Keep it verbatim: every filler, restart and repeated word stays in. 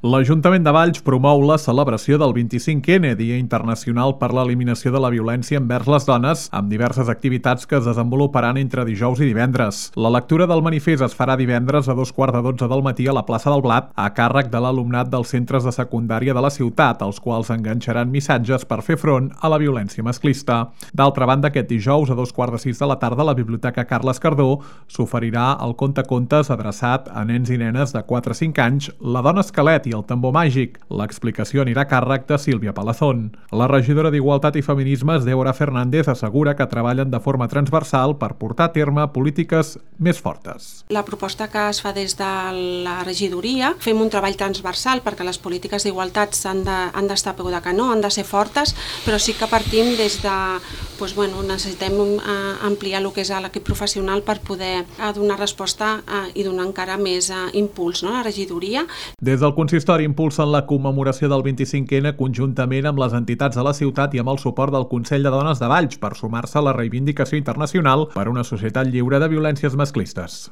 L'Ajuntament de Valls promou la celebració del vint-i-cinc ena, Dia Internacional per l'Eliminació de la Violència envers les Dones, amb diverses activitats que es desenvoluparan entre dijous i divendres. La lectura del manifest es farà divendres a dos quarts de dotze del matí a la plaça del Blat, a càrrec de l'alumnat dels centres de secundària de la ciutat, els quals enganxaran missatges per fer front a la violència masclista. D'altra banda, aquest dijous, a dos quarts de sis de la tarda, a la Biblioteca Carles Cardó s'oferirà el contacontes adreçat a nens i nenes de quatre a cinc anys, La dona esquelet i el tambor màgic. L'explicació anirà a càrrec de Sílvia Palazón. La regidora d'Igualtat i Feminismes, Débora Fernández, assegura que treballen de forma transversal per portar a terme polítiques més fortes. La proposta que es fa des de la regidoria, fem un treball transversal perquè les polítiques d'igualtat han de, han d'estar a peu de canó, han de ser fortes, però sí que partim des de, doncs, bueno, necessitem ampliar el que és l'equip professional per poder donar resposta i donar encara més impuls, no?, a la regidoria. Des del consistori impulsen la commemoració del vint-i-cinc ena conjuntament amb les entitats de la ciutat i amb el suport del Consell de Dones de Valls per sumar-se a la reivindicació internacional per una societat lliure de violències masclistes.